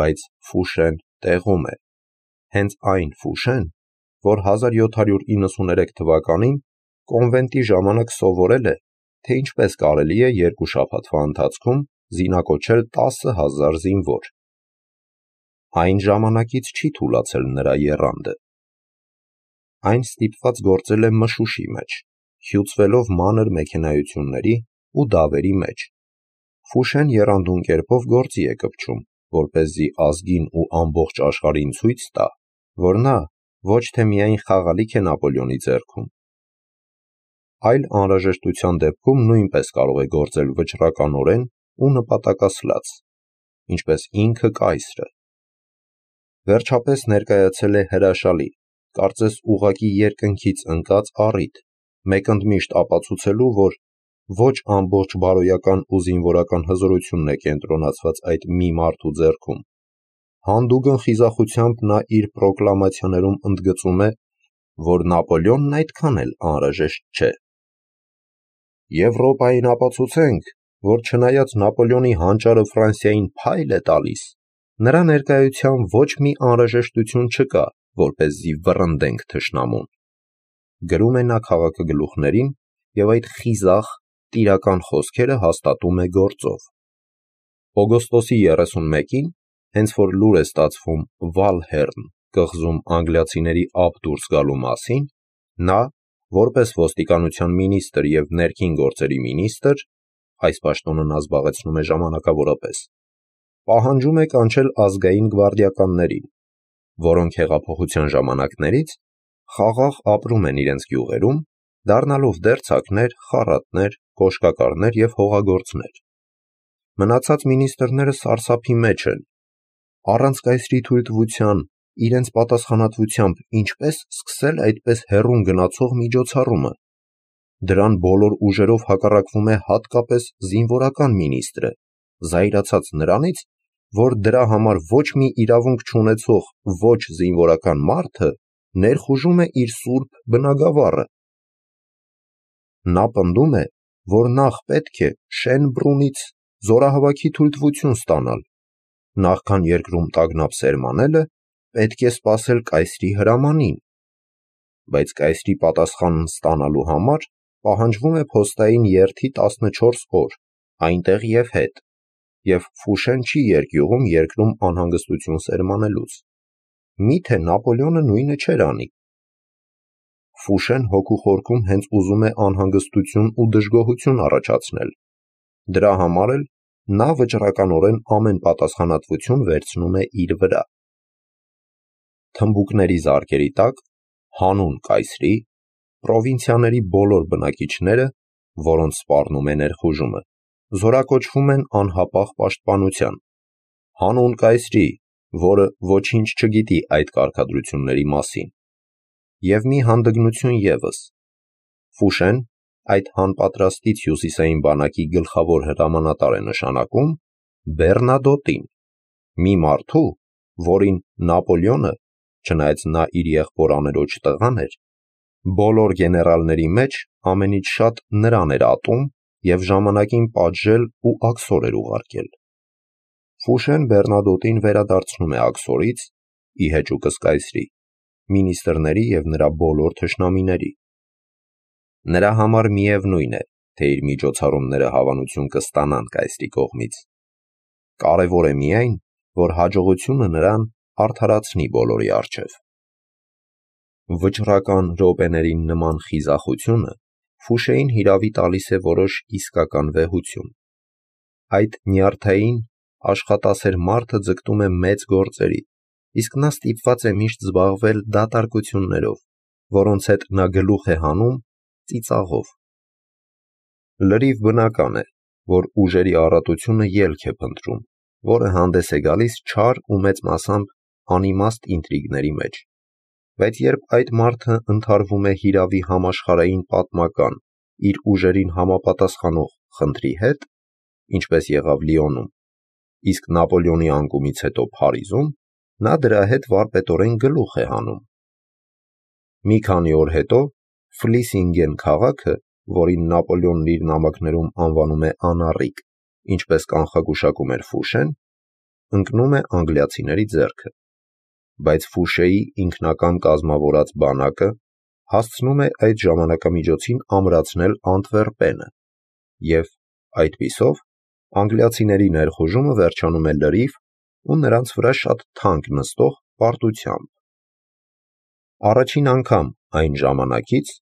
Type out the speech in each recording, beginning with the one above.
բայց Ֆուշեն տեղում է, հենց այն Ֆուշեն, որ 1793 թվականին կոնվենտի ժամանակ սովորել է, թե ինչպես կարելի է 2 շաբաթվա ընթացքում զինակոչել 10,000 զինվոր։ Այն ժամանակից չի թուլացել նրա եռանդը։ Այն ստիպված գործել է մշուշի մեջ, հյուծվելով մանր մեքենայությունների ու դավերի մեջ։ Ֆուշեն եռանդուն կերպով գործի է կպչում, որպեսզի ազգին ու ամբողջ աշխարհին ցույց տա, որ նա ոչ թե միայն խաղալիք է Նապոլեոնի ձեռքում, այլ անհրաժեշտության դեպքում նույնպես կարող է գործել վճռականորեն ու նպատակասլաց, ինչպես ինքը կայսրը։ Վերջապես ներկայացել է հրաշալի, կարծես ուղղակի երկնքից ընկած առիթ, մեկընդմիշտ ապացուցելու, որ ոչ ամբողջ բարոյական ու զինվորական հզորությունն է կենտրոնացված այդ մի մարդու ձեռքում։ Հանդուգն խիզախությամբ նա իր պրոկլամացիաներում ընդգծում է, որ Նապոլեոնն այդքան էլ անհրաժեշտ չէ։ Եվրոպային ապացուցենք, որ չնայած Նապոլեոնի հանճարը Ֆրանսիային փայլ է տալիս, նրա ներկայությամբ ոչ մի անհրաժեշտություն չկա, որպեսզի վռնդենք թշնամուն։ Գրում է նա քաղաքագլուխներին և այդ խիզախ, տիրական խոսքերը հաստատում է գործով։ Օգոստոսի 31-ին, հենց որ լուր է ստացվում Վալհեռն կղզում անգլիացիների ափ դուրս գալու մասին, նա, որպես ոստիկանության մինիստր և ներքին գործերի մինիստր, այս պաշտոնը նա զբաղեցնում է ժամանակավորապես, պահանջում է կանչել ազգային գվարդիականներին, որոնք հեղափոխության ժամանակներից խաղաղ ապրում են իրենց գյուղերում, դառնալով դերձակներ, խառատներ, կոշկակարներ և հողագործներ։ Մնացած մինիստրները սարսափի մեջ են։ Առանց կայսրի թույլտվության, իրենց պատասխանատվությամբ ինչպես սկսել այդպես հեռուն գնացող միջոցառումը։ Դրան բոլոր ուժերով հակառակվում է հատկապես զինվորական մինիստրը, զայրացած նրանից, որ դրա համար ոչ մի իրավունք չունեցող ոչ զինվորական մարդը ներխուժում է իր սուրբ բնագավառը։ Նա պնդում է, որ նախ պետք է Շենբրունից զորահավաքի թույլտվություն ստանալ, նախքան երկրում տագնապ սերմանելը, պետք է սպասել կայսրի հրամանին, բայց կայսրի պատասխանն ստանալու համար պահանջվում է փոստային երթի 14 օր, այնտեղ և հետ, և Ֆուշեն չի երկյուղում երկրում անհանգստություն սերմանելուց։ Միթե Նապոլեոնը նույնը չէր անի։ Ֆուշեն հոգու խորքում հենց ուզում է անհանգստություն ու դժգոհություն առաջացնել։ Դրա համար էլ նա վճռականորեն ամեն պատասխանատվություն վերցնում է իր վրա։ Թմբուկների զարկերի տակ, հանուն կայսրի, պրովինցիաների բոլոր բնակիչները, որոնց սպառնում է ներխուժումը, զորակոչվում են անհապաղ պաշտպանության, հանուն կայսրի, որը ոչինչ չգիտի այդ կարգադրությունների մասին։ Եվ մի հանդգնություն ևս. Ֆուշեն այդ հանպատրաստից հյուսիսային բանակի գլխավոր հրամանատար է նշանակում Բեռնադոտին, մի մարդու, որին Նապոլեոնը, չնայած նա իր եղբոր անելոջ տղան էր, բոլոր գեներալների մեջ ամենից շատ նրան էր ատում և ժամանակին պատժել ու աքսոր էր ուղարկել։ Ֆուշեն Բեռնադոտին վերադարձնում է աքսորից, ի հեճուկս կայսրի, մինիստրների և նրա բոլոր թշնամիների։ Նրա համար միևնույն է, թե իր միջոցառումները հավանություն կստանան կայսրի կողմից։ Կարևոր է միայն, որ հաջողությունը նրան արդարացնի բոլորի առջև։ Վճռական րոպեներին նման խիզախությունը Ֆուշեին հիրավի տալիս է որոշ իսկական վեհություն։ Այդ նյարդային, աշխատասեր մարդը ձգտում է մեծ գործերի, իսկ նա ստիպված է միշտ զբաղվել դատարկություններով, որոնց հետ նա գլուխ է հանում ծիծաղով։ Լրիվ բնական է, որ ուժերի առատությունը ելք է փնտրում, որը հանդես է գալիս չար ու մեծ մասամբ անիմաստ ինտրիգների մեջ։ Բայց երբ այդ մարդը ընդհարվում է հիրավի համաշխարհային պատմական, իր ուժերին համապատասխանող խնդրի հետ, ինչպես եղավ Լիոնում, իսկ Նապոլեոնի անկումից հետո Փարիզում, նա դրա հետ վարպետորեն գլուխ է հանում։ Մի քանի օր հետո Ֆլիսինգեն քաղաքը, որին Նապոլեոնն իր նամակներում անվանում է անառիկ, ինչպես կանխագուշակում էր Ֆուշեն, ընկնում է անգլիացիների ձեռքը, բայց Ֆուշեի ինքնակամ կազմավորած բանակը հասցնում է այդ ժամանակամիջոցին ամրացնել Անտվերպենը, և այդպիսով անգլիացիների ներխուժումը վերջանում է լրիվ ու նրանց վրա շատ թանկ նստող պարտությամբ։ Առաջին անգամ այն ժամանակից,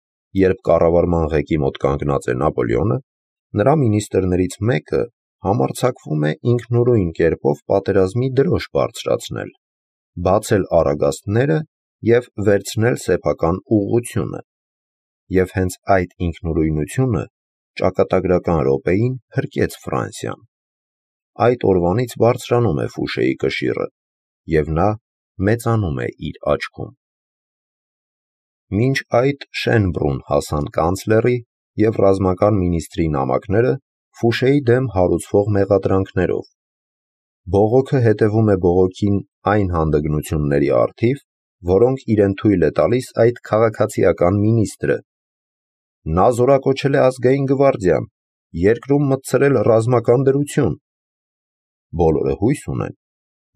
երբ կառավարման ղեկի մոտ կանգնած է Նապոլեոնը, նրա մինիստրներից մեկը համարձակվում է ինքնուրույն կերպով պատերազմի դրոշ բարձրացնել, բացել առագաստները և վերցնել սեփական ուղղությունը, և հենց այդ ինքնուրույնությունը ճակատագրական րոպեին փրկեց Ֆրանսիան։ Այդ օրվանից բարձրանում է Ֆուշեի կշիռը, և նա մեծանում է իր աչքում։ Մինչ այդ Շենբրուն հասան կանցլերի և ռազմական մինիստրի նամակները Ֆուշեի դեմ հարուցվող մեղադրանքներով։ Բողոքը հետևում է բողոքին այն հանդգնությունների առթիվ, որոնք իրեն թույլ է տալիս այդ քաղաքացիական մինիստրը։ Նա զորակոչել է ազգային գվարդիան, երկրում մտցրել ռազմական դրություն։ Բոլորը հույս ունեն,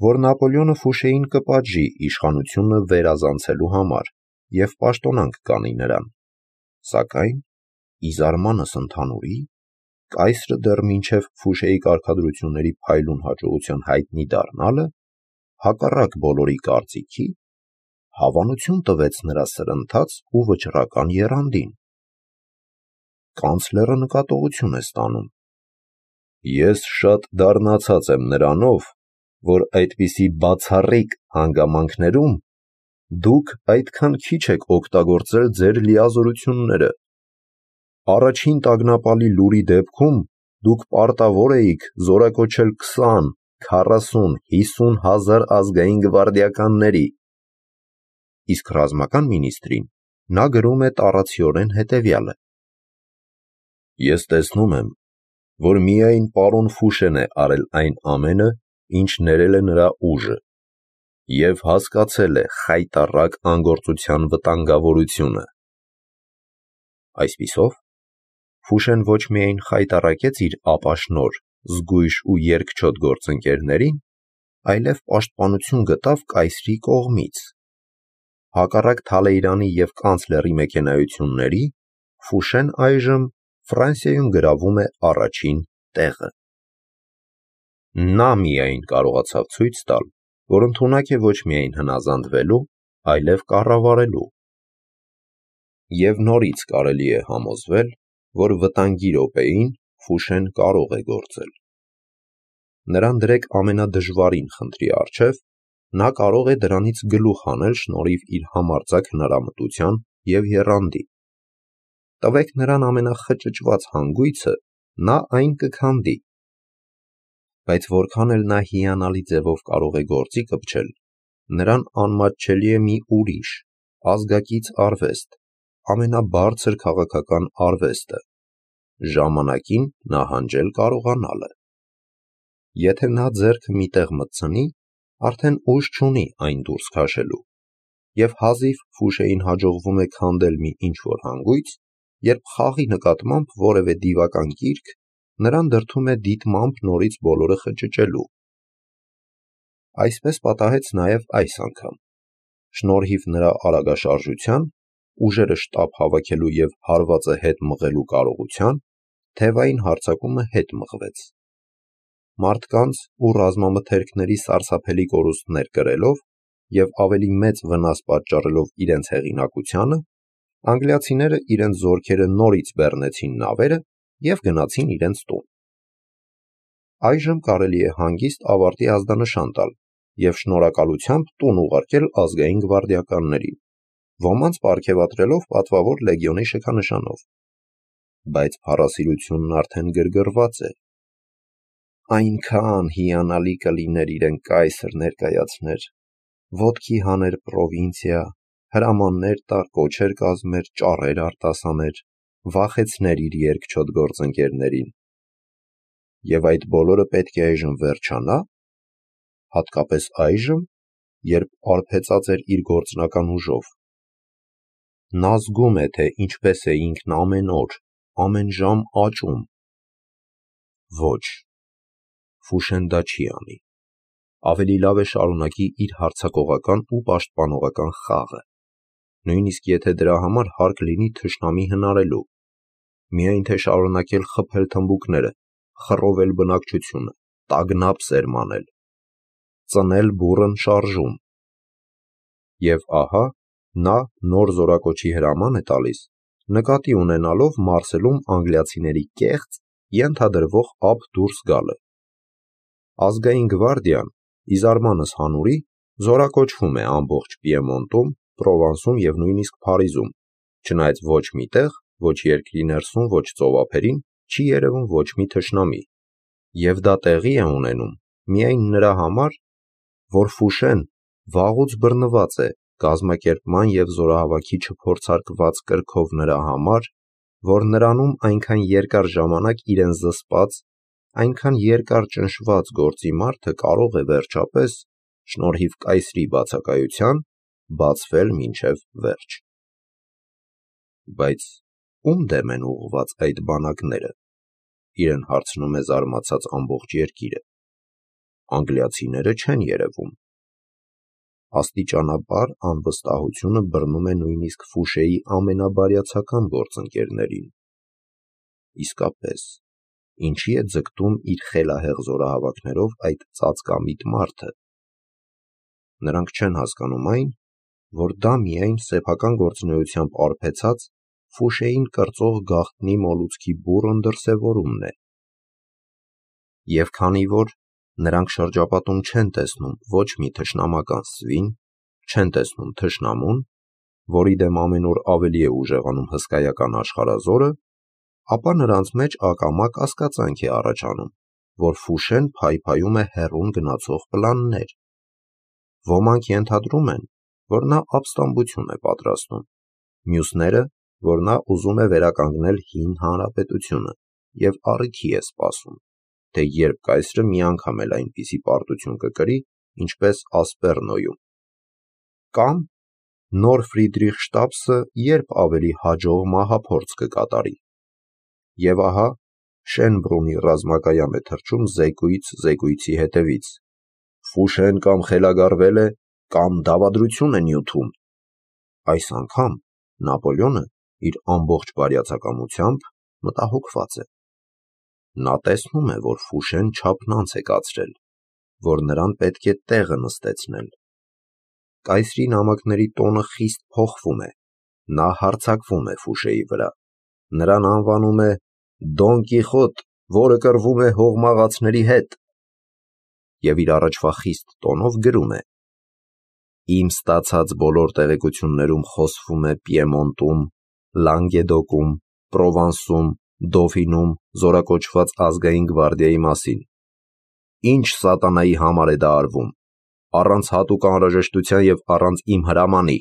որ Նապոլեոնը Ֆուշեին կպատժի իշխանությունը վերազանցելու համար և պաշտոնանկ կանի նրան, սակայն ի զարմանս ընդհանուրի, կայսրը դեռ մինչև Ֆուշեի կարգադրությունների փայլուն հաջողության հայտնի դառնալը, հակառակ բոլորի կարծիքի, հավանություն տվեց նրա սրընթաց ու վճռական եռանդին։ Կանցլերը նկատողություն է ստանում. «Ես շատ դառնացած եմ նրանով, որ այդպիսի բացառիկ հանգամանքներում դուք այդքան քիչ եք օգտագործել ձեր լիազորությունները։ Առաջին տագնապալի լուրի դեպքում դուք պարտավոր էիք զորակոչել 20, 40, 50 հազար ազգային գվարդիականների»։ Իսկ ռազմական մինիստրին նա գրում է տառացիորեն հետևյալը. «Ես տեսնում եմ, որ միայն պարոն Ֆուշեն է արել այն ամենը, ինչ ներել է նրա ուժը, և հասկացել է խայտառակ անգործության վտանգավորությունը»։ Այսպիսով, Ֆուշեն ոչ միայն խայտառակեց իր ապաշնորհ, զգույշ ու երկչոտ գործընկերներին, այլև պաշտպանություն գտավ կայսրի կողմից։ Հակառակ Թալեյրանի և կանցլերի մեքենայությունների, Ֆուշեն այժմ Ֆրանսիայում գրավում է առաջին տեղը։ Նա միայն կարողացավ ցույց տալ, որ ընդունակ է ոչ միայն հնազանդվելու, այլև կառավարելու։ Եվ նորից կարելի է համոզվել, որ վտանգի րոպեին Ֆուշեն կարող է գործել։ Նրան դրեք ամենադժվարին խնդրի առջև, նա կարող է դրանից գլուխ հանել շնորհիվ իր համարձակ հնարամտության և եռանդի։ Տվեք նրան ամենախճճված հանգույցը, նա այն կքանդի։ Բայց որքան էլ նա հիանալի ձևով կարող է գործի կպչել, նրան անմատչելի է մի ուրիշ, ազգակից արվեստ, ամենաբարձր քաղաքական արվեստը՝ ժամանակին նահանջել կարողանալը։ Եթե նա ձեռքը մի տեղ մտցնի, արդեն ուժ չունի այն դուրս քաշելու, և հազիվ Ֆուշեին հաջողվում է քանդել մի ինչ-որ հանգույց, երբ խաղի նկատմամբ որևէ դիվական կիրք նրան դրդում է դիտմամբ նորից բոլորը խճճելու։ Այսպես պատահեց նաև այս անգամ։ Շնորհիվ նրա արագաշարժության, ուժերը շտապ հավաքելու և հարվածը հետ մղելու կարողության, թևային հարձակումը հետ մղվեց։ Մարդկանց ու ռազմամթերքների սարսափելի կորուստներ կրելով և ավելի մեծ վնաս պատճառելով իրենց հեղինակությանը, անգլիացիները իրենց զորքերը նորից բեռնեցին նավերը և գնացին իրենց տուն։ Այժմ կարելի է հանգիստ ավարտի ազդանշան տալ և շնորհակալությամբ տուն ուղարկել ազգային գվարդիականներին, ոմանց պարգևատրելով պատվավոր լեգիոնի շքանշանով։ Բայց փառասիրությունն արդեն գրգռված է։ Այնքան հիանալի կլիներ իրեն կայսր ներկայացներ, ոտքի հաներ պրովինցիա, հրամաններ տար, կոչեր կազմեր, ճառեր արտասաներ, վախեցներ իր երկչոտ գործընկերներին։ Եվ այդ բոլորը պետք է այժմ վերջանա, հատկապես այժմ, երբ արբեցած էր իր գործնական ուժով։ Նա զգում է, թե ինչպես է ինքն ամեն օր, ամեն ժամ աճում։ Ոչ, Ֆուշեն դա չի անի։ ավելի լավ է շարունակի իր հարձակողական ու պաշտպանողական խաղը, նույնիսկ եթե դրա համար հարկ լինի թշնամի հնարելու, միայն թե շարունակել խփել թմբուկները, խռովել բնակչությունը, տագնապ սերմանել, ծնել բուռն շարժում։ Եվ ահա նա նոր զորակոչի հրաման է տալիս, նկատի ունենալով Մարսելում անգլիացիների կեղծ, ենթադրվող ափ դուրս գալը։ Ազգային գվարդիան, ի զարմանս հանուրի, զորակոչվում է ամբողջ Պիեմոնտում, Պրովանսում և նույնիսկ Փարիզում, չնայած ոչ մի տեղ, ոչ երկրի ներսում, ոչ ծովափերին չի երևում ոչ մի թշնամի, և դա տեղի է ունենում միայն նրա համար, որ Ֆուշեն վաղուց բռնված է կազմակերպման և զորահավաքի չփորձարկված կրքով նրա համար, որ նրանում այնքան երկար ժամանակ իրեն զսպած, այնքան երկար ճնշված գործի մարդը կարող է վերջապես, շնորհիվ կայսրի բացակայության, բացվել մինչև վերջ։ Բայց ում դեմ են ուղղված այդ բանակները, իրեն հարցնում է զարմացած ամբողջ երկիրը։ Անգլիացիները չեն երևում։ Աստիճանաբար անվստահությունը բռնում է նույնիսկ Ֆուշեի ամենաբարյացակամ գործընկերներին։ Իսկապես, ինչի է ձգտում իր խելահեղ զորահավաքներով այդ ծածկամիտ մարդը։ Նրանք չեն հասկանում այն, որ դա միայն սեփական գործունեությամբ արբեցած Ֆուշեին կրծող գաղտնի մոլուցքի բուռն դրսևորումն է։ Եվ քանի որ նրանք շրջապատում չեն տեսնում ոչ մի թշնամական սվին, չեն տեսնում թշնամուն, որի դեմ ամեն օր ավելի է ուժեղանում հսկայական աշխարհազորը, ապա նրանց մեջ ակամա կասկածանք է առաջանում, որ Ֆուշեն փայփայում է հեռուն գնացող պլաններ։ Ոմանք ենթադրում են, որ նա ապստամբություն է պատրաստում, մյուսները, որ նա ուզում է վերականգնել հին հանրապետությունը և առիթի է սպասում, թե երբ կայսրը մի անգամ էլ այնպիսի պարտություն կկրի, ինչպես Ասպերնոյում, կամ նոր Ֆրիդրիխշտապսը երբ ավելի հաջող մահափորձ կկատարի։ Եվ ահա Շենբրունի ռազմակայան է թռչում զեկույց զեկույցի հետևից. Ֆուշեն կամ խելագարվել է, կամ դավադրություն է նյութում։ Այս անգամ Նապոլեոնը իր ամբողջ բարյացակամությամբ մտահոգված է։ Նա տեսնում է, որ Ֆուշեն չափնանց է կացրել, որ նրան պետք է տեղը նստեցնել։ Կայսրի նամակների տոնը խիստ փոխվում է, նա հարձակվում է Ֆուշեի վրա, նրան անվանում է Դոն Կիխոտ, որը կռվում է հողմաղացների հետ, և իր առաջվա խիստ տոնով գրում է. Իմ ստացած բոլոր տեղեկություններում խոսվում է Պիեմոնտում, Լանգեդոկում, Պրովանսում, Դոֆինում զորակոչված ազգային գվարդիայի մասին։ Ինչ սատանայի համար է դա արվում, առանց հատուկ անհրաժեշտության և առանց իմ հրամանի։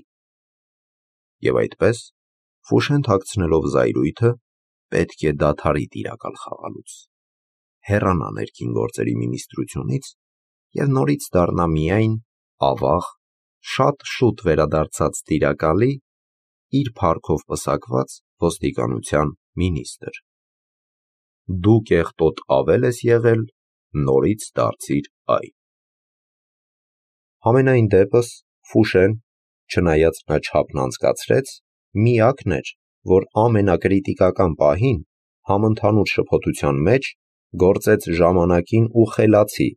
Եվ այդպես, Ֆուշեն թաքցնելով զայրույթը, պետք է դադարի տիրակալ խաղալուց, հեռանա ներքին գործերի մինիստրությունից և նորից դառնա միայն ավաղ, շատ շուտ վերադարձած տիրակալի, իր փառքով պսակված ոստիկանության մինիստրը։ Դու կեղտոտ ավել ես եղել, նորից դարձիր այն։ Համենայն դեպս Ֆուշեն, չնայած նա չափն անցկացրեց, միակն էր, որ ամենակրիտիկական պահին, համընդհանուր շփոթության մեջ, գործեց ժամանակին ու խելացի,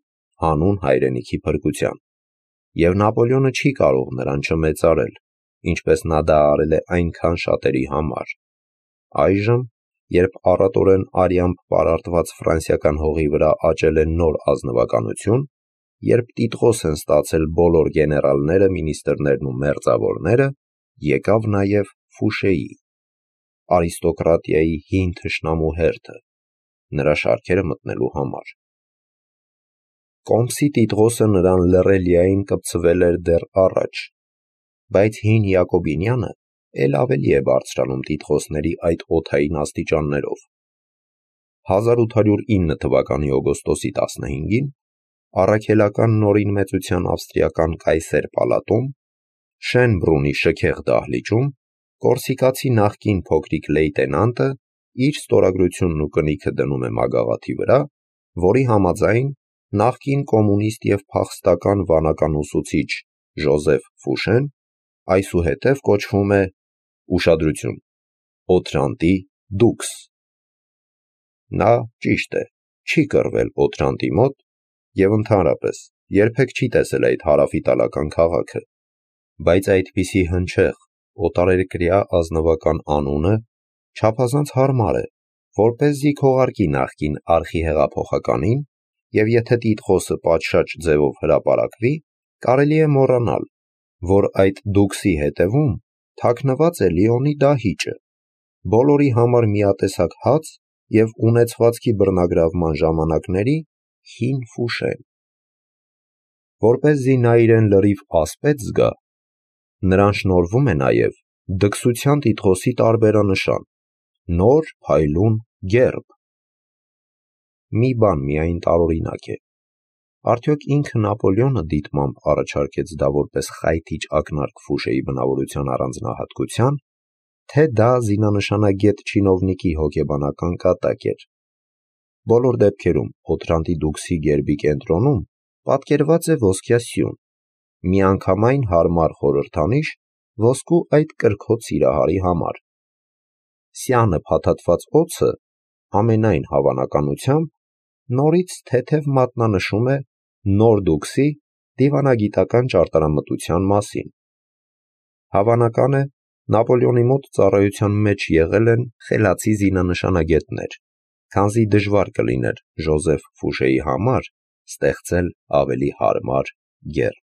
հանուն հայրենիքի փրկության, և Նապոլեոնը չի կարող նրան չմեծարել, ինչպես նա դա արել է այնքան շատերի համար։ Այժմ, երբ առատորեն արյամբ պարարտված ֆրանսիական հողի վրա աճել է նոր ազնվականություն, երբ տիտղոս են ստացել բոլոր գեներալները, մինիստրներն ու մերձավորները, եկավ նաև Ֆուշեի, արիստոկրատիայի հին թշնամու հերթը, նրա շարքերը մտնելու համար։ Կոմսի տիտղոսը նրան լռելիային կպցվել էր դեռ առաջ, բայց հին Յակոբինյանը էլ ավելի է բարձրանում տիտղոսների այդ օդային աստիճաններով։ 1809 թվականի օգոստոսի 15-ին առաքելական նորին մեծության ավստրիական կայսեր պալատում, Շենբրունի շքեղ դահլիճում, կորսիկացի նախկին փոքրիկ լեյտենանտը իր ստորագրությունն ու կնիքը դնում է մագաղաթի վրա, որի համաձայն նախկին կոմունիստ և փախստական վանական ուսուցիչ Ժոզեֆ Ֆուշեն այսուհետև կոչվում է ուշադրություն Օթրանտի դուքս։ Նա, ճիշտ է, չի կռվել Օթրանտի մոտ և ընդհանրապես երբեք չի տեսել այդ հարավիտալական քաղաքը, բայց այդպիսի հնչեղ, օտարերկրյա ազնվական անունը չափազանց հարմար է, որպեսզի քողարկի նախկին արխիհեղափոխականին, և եթե տիտղոսը պատշաճ ձևով հրապարակվի, կարելի է մոռանալ, որ այդ դուքսի հետևում թաքնված է Լիոնի դահիճը, բոլորի համար միատեսակ հաց և ունեցվածքի բռնագրավման ժամանակների հին Ֆուշեն։ Որպեսզի նա իրեն լրիվ ասպետ զգա, նրան շնորհվում է նաև դքսության տիտղոսի տարբերանշան՝ նոր փայլուն գերբ։ Մի բան միայն տարօրինակ է. արդյոք ինքը Նապոլեոնը դիտմամբ առաջարկեց դա որպես խայթիչ ակնարկ Ֆուշեի բնավորության առանձնահատկության, թե դա զինանշանագետ չինովնիկի հոգեբանական կատակ էր։ Բոլոր դեպքերում Օթրանտի դուքսի գերբի կենտրոնում պատկերված է ոսկյա սյուն, միանգամայն հարմար խորհրդանիշ ոսկու այդ կրքոտ սիրահարի համար։ Սյանը փաթաթված օձը ամենայն հավանականությամբ նորից թեթև մատնանշում է նոր դուքսի դիվանագիտական ճարտարամտության մասին։ Հավանական է, Նապոլեոնի մոտ ծառայության մեջ եղել են խելացի զինանշանագետներ, քանզի դժվար կլիներ Ժոզեֆ Ֆուշեի համար ստեղծել ավելի հարմար գերբ։